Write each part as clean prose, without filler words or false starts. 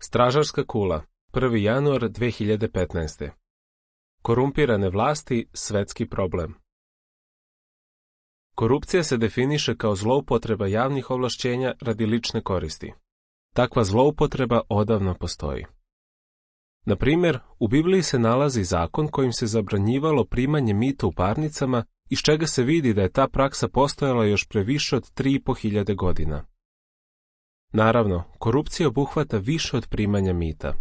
Stražarska kula, 1. januar 2015. Korumpirane vlasti, svetski problem. Korupcija se definiše kao zloupotreba javnih ovlašćenja radi lične koristi. Takva zloupotreba odavno postoji. Na primjer, u Bibliji se nalazi zakon kojim se zabranjivalo primanje mita u parnicama, iz čega se vidi da je ta praksa postojala još pre više od 3.500 godina. Naravno, korupcija obuhvata više od primanja mita.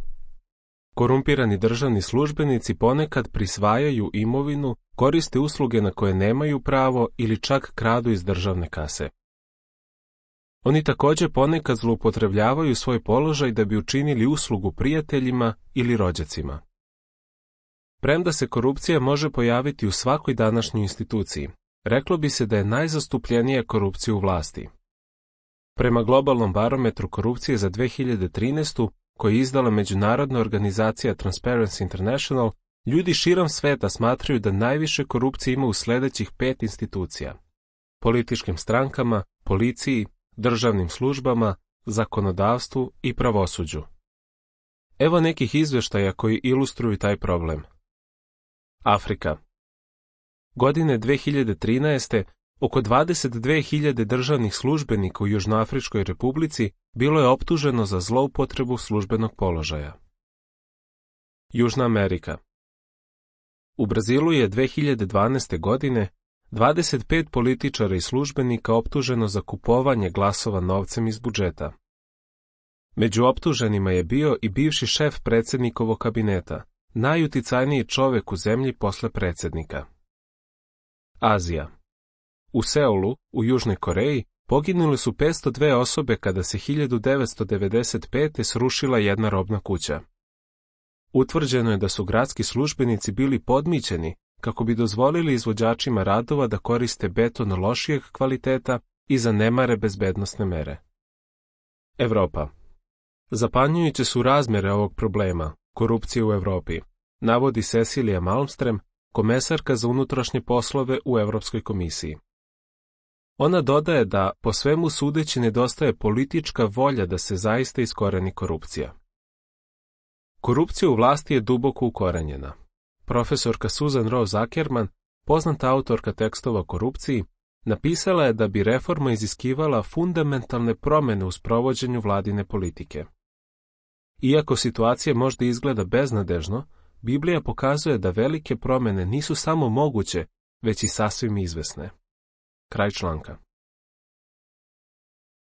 Korumpirani državni službenici ponekad prisvajaju imovinu, koriste usluge na koje nemaju pravo ili čak kradu iz državne kase. Oni također ponekad zloupotrebljavaju svoj položaj da bi učinili uslugu prijateljima ili rođacima. Premda se korupcija može pojaviti u svakoj današnjoj instituciji, reklo bi se da je najzastupljenija korupcija u vlasti. Prema globalnom barometru korupcije za 2013. koji je izdala međunarodna organizacija Transparency International, ljudi širom sveta smatraju da najviše korupcije ima u sljedećih 5 institucija: političkim strankama, policiji, državnim službama, zakonodavstvu i pravosuđu. Evo nekih izvještaja koji ilustruju taj problem. Afrika. Godine 2013. oko 22.000 državnih službenika u Južnoafričkoj republici bilo je optuženo za zloupotrebu službenog položaja. Južna Amerika. U Brazilu je 2012. godine 25 političara i službenika optuženo za kupovanje glasova novcem iz budžeta. Među optuženima je bio i bivši šef predsjednikovog kabineta, najuticajniji čovjek u zemlji posle predsjednika. Azija. U Seulu, u Južnoj Koreji, poginule su 502 osobe kada se 1995. srušila jedna robna kuća. Utvrđeno je da su gradski službenici bili podmićeni kako bi dozvolili izvođačima radova da koriste beton lošijeg kvaliteta i zanemare bezbednosne mere. Evropa. Zapanjujuće su razmjere ovog problema, korupcije u Europi, navodi Cecilia Malmström, komesarka za unutrašnje poslove u Europskoj komisiji. Ona dodaje da, po svemu sudeći, nedostaje politička volja da se zaista iskoreni korupcija. Korupcija u vlasti je duboko ukorenjena. Profesorka Susan Rose Ackerman, poznata autorka tekstova o korupciji, napisala je da bi reforma iziskivala fundamentalne promjene u sprovođenju vladine politike. Iako situacija možda izgleda beznadežno, Biblija pokazuje da velike promjene nisu samo moguće, već i sasvim izvesne. Kraj članka.